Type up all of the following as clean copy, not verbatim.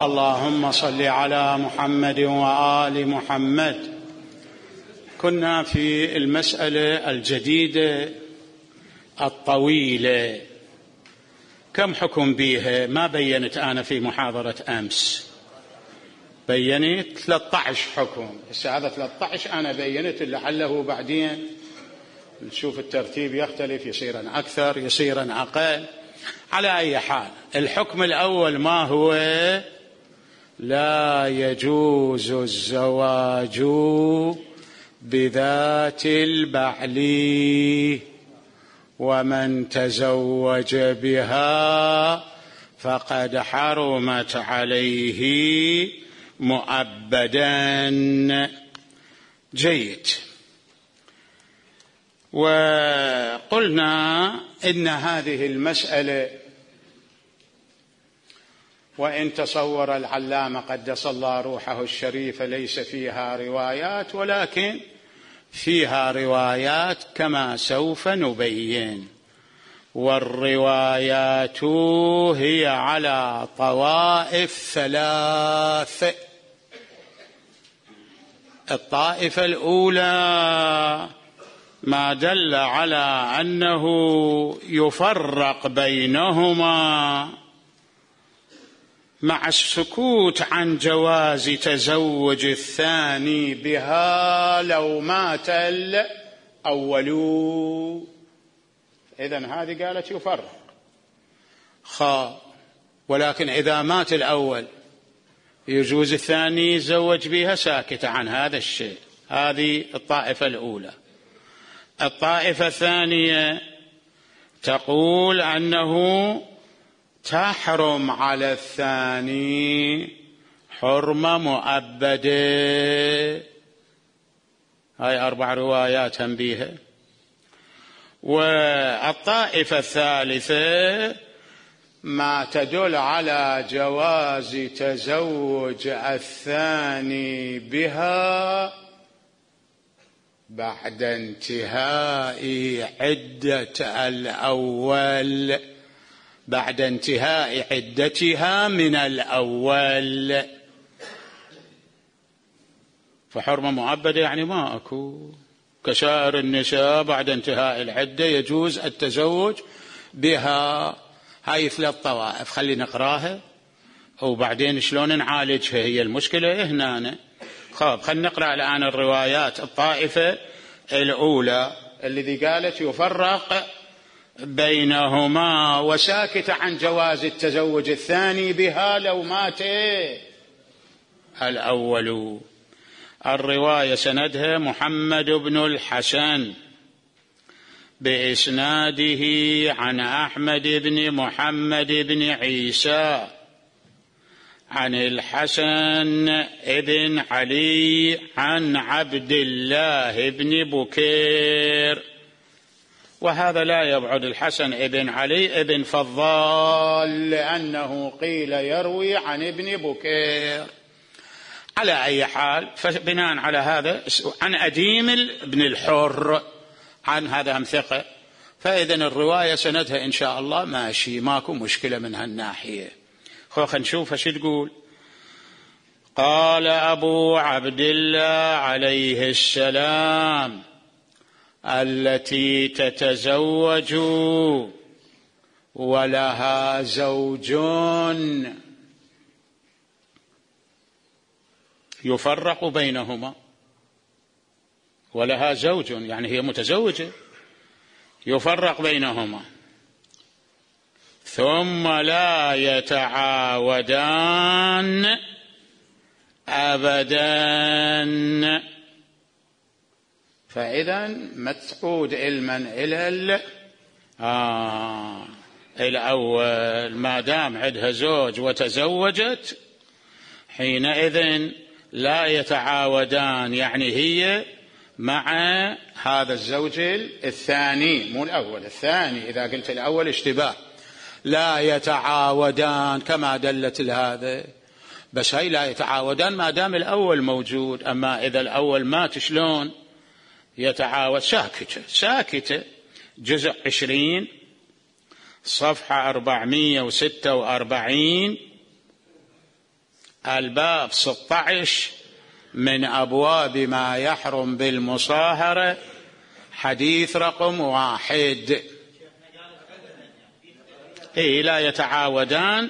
اللهم صل على محمد وآل محمد. كنا في المسألة الجديدة الطويلة، كم حكم بيها؟ ما بينت أنا في محاضرة أمس، بينت 13 حكم. هذا 13 أنا بينت، لعله بعدين نشوف الترتيب يختلف، يصير أكثر يصير أقل. على أي حال، الحكم الأول ما هو؟ لا يجوز الزواج بذات البعل، ومن تزوج بها فقد حرمت عليه مؤبدا. جيد. وقلنا إن هذه المسألة وإن تصور العلامة قدس الله روحه الشريف ليس فيها روايات، ولكن فيها روايات كما سوف نبين، والروايات هي على طوائف ثلاث. الطائفة الأولى ما دل على أنه يفرق بينهما مع السكوت عن جواز تزوج الثاني بها لو مات الأول. إذن هذه قالت يفرق، ولكن إذا مات الأول يجوز الثاني يتزوج بها، ساكتة عن هذا الشيء. هذه الطائفة الأولى. الطائفة الثانية تقول أنه تحرم على الثاني حرمة مؤبدة. هاي 4 روايات هم بيها. والطائفة الثالثة ما تدل على جواز تزوج الثاني بها بعد انتهاء عدة الأول، بعد انتهاء عدتها من الأول. فحرمة مؤبدة يعني ما أكو، كسائر النساء بعد انتهاء العدة يجوز التزوج بها. هاي 3 طوائف، خلي نقراها وبعدين شلون نعالجها، هي المشكلة هنا. خلينا نقرأ الآن الروايات. الطائفة الأولى الذي قالت يفرق بينهما وساكت عن جواز التزوج الثاني بها لو مات الأول. الرواية سندها محمد بن الحسن بإسناده عن أحمد بن محمد بن عيسى عن الحسن بن علي عن عبد الله بن بكير. وهذا لا يبعد الحسن بن علي بن فضال، لأنه قيل يروي عن ابن بكير. على أي حال، فبناء على هذا عن أديم بن الحر، عن هذا هم ثقة، فإذا الرواية سندها إن شاء الله ماشي، ماكو مشكلة من هالناحية. خلينا نشوف ايش تقول. قال أبو عبد الله عليه السلام: التي تتزوج ولها زوج يفرق بينهما، ولها زوج يعني هي متزوجة، يفرق بينهما، ثم لا يتعاودان أبدا. فإذا متعود علما إلى الأول، ما دام عندها زوج وتزوجت حينئذ لا يتعاودان، يعني هي مع هذا الزوج الثاني، مو الأول، الثاني. إذا قلت الأول اشتباه. لا يتعاودان كما دلت هذا، بس هي لا يتعاودان ما دام الأول موجود. أما إذا الأول مات شلون يتعاود؟ ساكتة. جزء 20 صفحة 446 الباب 16 من أبواب ما يحرم بالمصاهرة، حديث رقم 1. لا يتعاودان،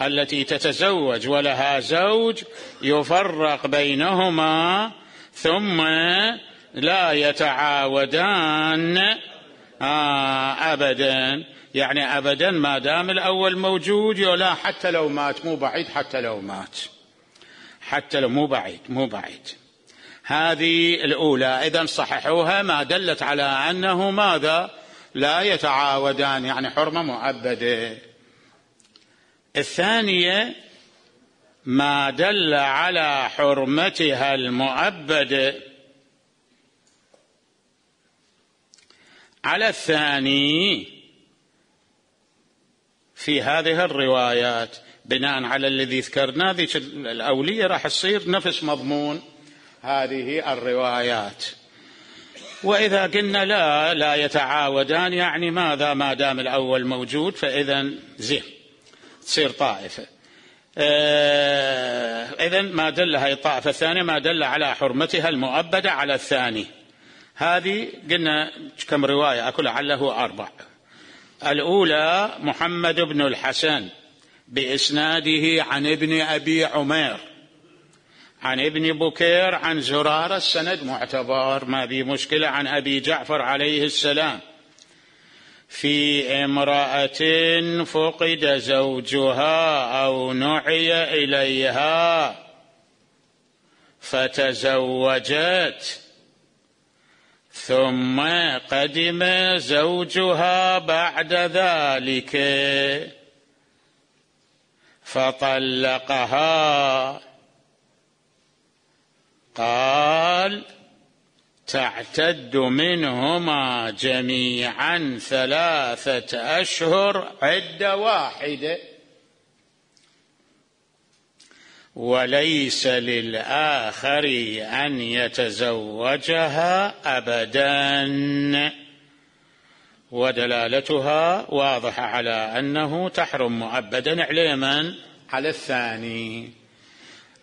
التي تتزوج ولها زوج يفرق بينهما ثم لا يتعاودان أبدا، يعني أبدا ما دام الأول موجود، ولا حتى لو مات، مو بعيد، حتى لو مات، حتى لو مو بعيد. هذه الأولى. إذن صححوها، ما دلت على أنه ماذا؟ لا يتعاودان، يعني حرمة مؤبدة. الثانية ما دل على حرمتها المؤبدة على الثاني في هذه الروايات، بناء على الذي ذكرنا، ذيك الأولية راح تصير نفس مضمون هذه الروايات. وإذا قلنا لا يتعاودان، يعني ماذا؟ ما دام الأول موجود، فإذا زين تصير طائفة. إذن ما دل هاي الطائفة الثانية ما دل على حرمتها المؤبدة على الثاني. هذه قلنا كم رواية، أكل لعله 4. الأولى محمد بن الحسن بإسناده عن ابن أبي عمير عن ابن بكير عن زرارة، السند معتبر ما بي مشكلة، عن أبي جعفر عليه السلام في امرأة فقد زوجها أو نعي إليها فتزوجت ثم قدم زوجها بعد ذلك فطلقها، قال تعتد منهما جميعا 3 أشهر عدة واحدة، وليس للآخر أن يتزوجها أبدا. ودلالتها واضحة على أنه تحرم مؤبدا علما على الثاني.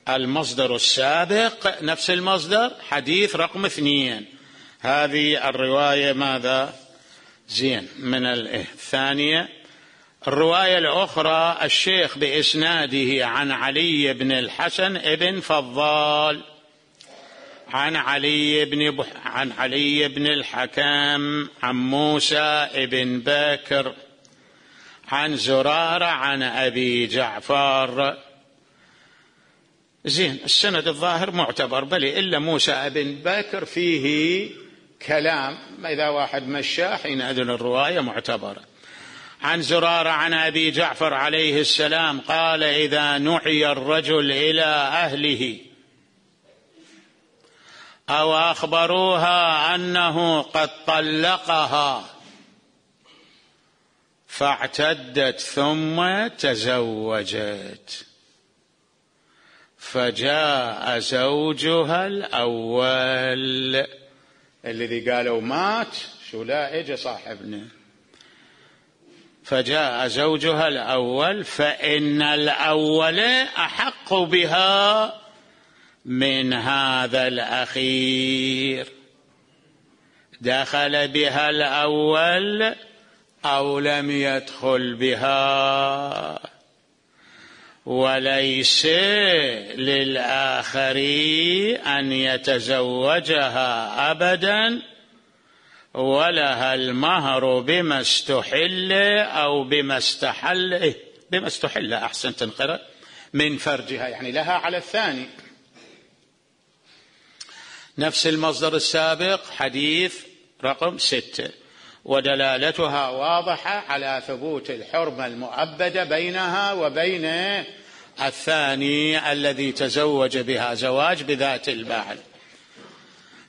المصدر السابق نفس المصدر، حديث رقم 2. هذه الرواية ماذا؟ زين من الثانية. الرواية الأخرى الشيخ بإسناده عن علي بن الحسن ابن فضال عن علي بن الحكم عن موسى ابن بكر عن زرارة عن أبي جعفر. زين، السند الظاهر معتبر، بل إلا موسى ابن بكر فيه كلام، إذا واحد مشاه حينئذ الرواية معتبرة. عن زرارة عن أبي جعفر عليه السلام قال إذا نعي الرجل إلى أهله أو أخبروها أنه قد طلقها فاعتدت ثم تزوجت فجاء زوجها الأول، الذي قالوا مات، شو لا إجا صاحبنا، فجاء زوجها الأول فإن الأول أحق بها من هذا الأخير، دخل بها الأول أو لم يدخل بها، وليس للآخر أن يتزوجها أبدا، ولها المهر بما استحل أو بما استحل أحسن تنقرأ من فرجها، يعني لها على الثاني. نفس المصدر السابق حديث رقم 6. ودلالتها واضحة على ثبوت الحرمة المؤبدة بينها وبين الثاني الذي تزوج بها زواج بذات البعل.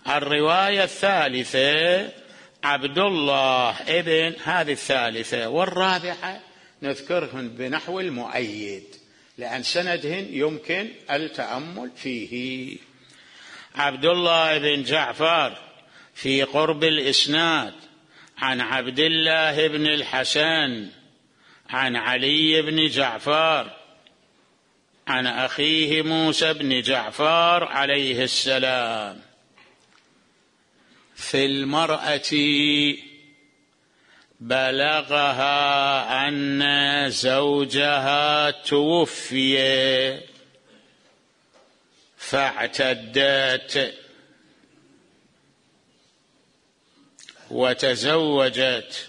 الرواية الثالثة عبد الله ابن، هذه الثالثة، والرابعة نذكرهن بنحو المؤيد لأن سندهن يمكن التأمل فيه. عبد الله بن جعفر في قرب الإسناد عن عبد الله بن الحسن عن علي بن جعفر عن أخيه موسى بن جعفر عليه السلام في المرأة بلغها أن زوجها توفي فاعتدت وتزوجت،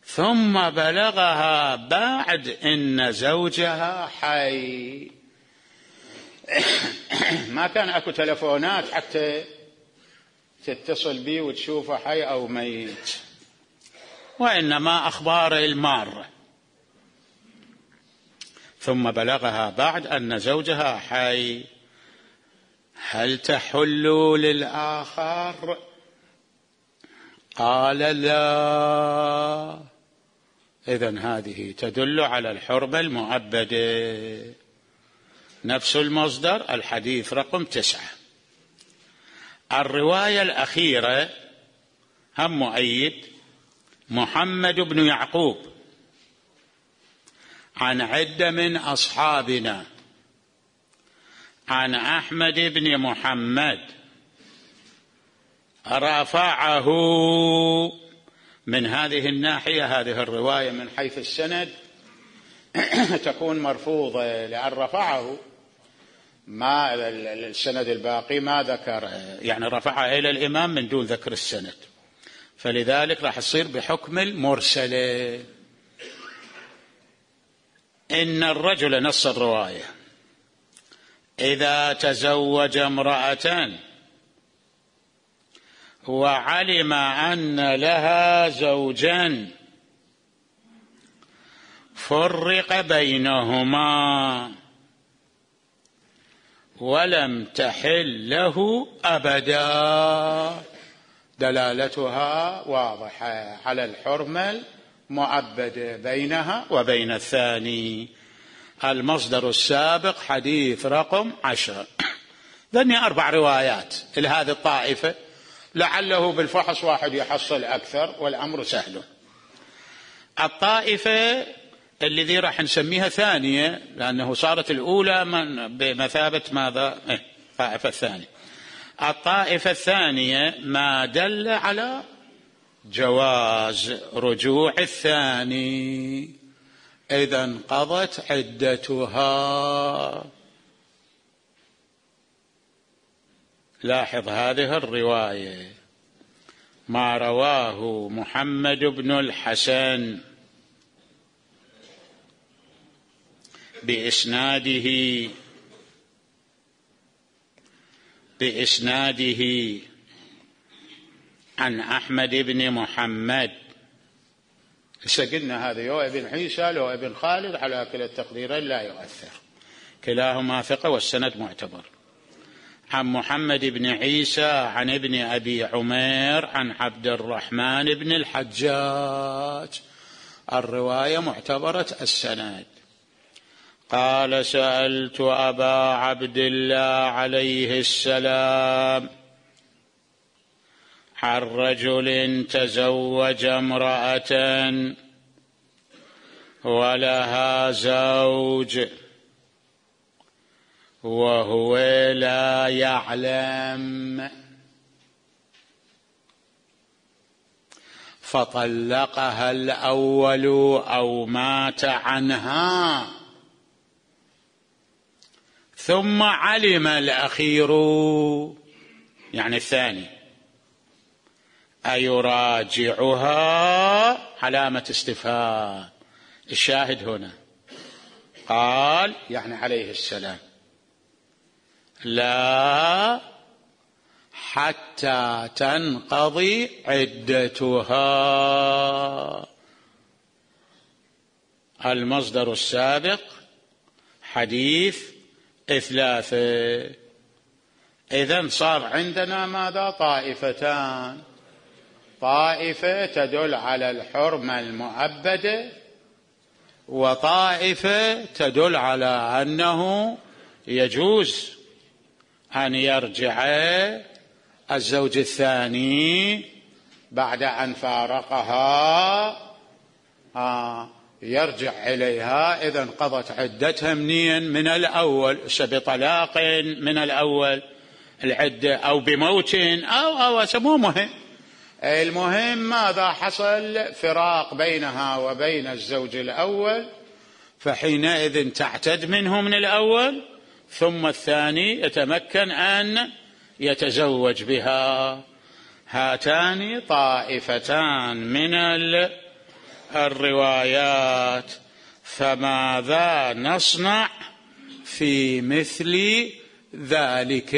ثم بلغها بعد إن زوجها حي. ما كان أكو تلفونات حتى تتصل بي وتشوفه حي أو ميت، وإنما أخبار المارة. ثم بلغها بعد أن زوجها حي، هل تحل للآخر؟ قال لا. إذن هذه تدل على الحرمة المؤبدة. نفس المصدر، الحديث رقم 9. الرواية الأخيرة هم مؤيد محمد بن يعقوب عن عدة من أصحابنا عن أحمد بن محمد رفعه من هذه الناحية. هذه الرواية من حيث السند تكون مرفوضة، لأن رفعه ما السند الباقي ما ذكر، يعني رفعها إلى الإمام من دون ذكر السند، فلذلك راح يصير بحكم المرسلة. إن الرجل، نص الرواية، إذا تزوج امرأة وعلم أن لها زوجا فرق بينهما ولم تحل له أبدا، دلالتها واضحة على الحرمة المؤبدة بينها وبين الثاني. المصدر السابق حديث رقم 10. ذني 4 روايات لهذه الطائفة، لعله بالفحص واحد يحصل أكثر والأمر سهل. الطائفة الذي راح نسميها ثانية، لأنه صارت الأولى بمثابة ماذا؟ الطائفة الثانية. الطائفة الثانية ما دل على جواز رجوع الثاني إذا انقضت عدتها. لاحظ هذه الرواية، ما رواه محمد بن الحسن بإسناده عن أحمد بن محمد. قلنا هذا يو ابن عيسى لو ابن خالد، على كلا التقديرين لا يؤثر، كلاهما ثقة والسند معتبر. عن محمد بن عيسى عن ابن أبي عمير عن عبد الرحمن بن الحجاج، الرواية معتبرة السند. قال: سألت أبا عبد الله عليه السلام عن رجل تزوج امرأة ولها زوج وهو لا يعلم، فطلقها الأول أو مات عنها، ثم علم الأخير يعني الثاني أيراجعها؟ علامة استفهام. الشاهد هنا قال يعني عليه السلام: لا حتى تنقضي عدتها. المصدر السابق حديث 3. إذن صار عندنا ماذا؟ طائفتان: طائفة تدل على الحرمة المؤبدة، وطائفة تدل على أنه يجوز أن يرجع الزوج الثاني بعد أن فارقها يرجع إليها إذا انقضت عدتها منين؟ من الأول، بطلاق من الأول العدة أو بموت أو مو مهم. المهم ماذا حصل؟ فراق بينها وبين الزوج الأول، فحينئذ تعتد منه من الأول، ثم الثاني يتمكن أن يتزوج بها. هاتان طائفتان من الروايات، فماذا نصنع في مثل ذلك؟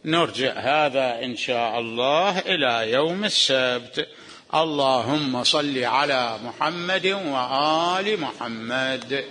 نرجع هذا إن شاء الله إلى يوم السبت. اللهم صل على محمد وآل محمد.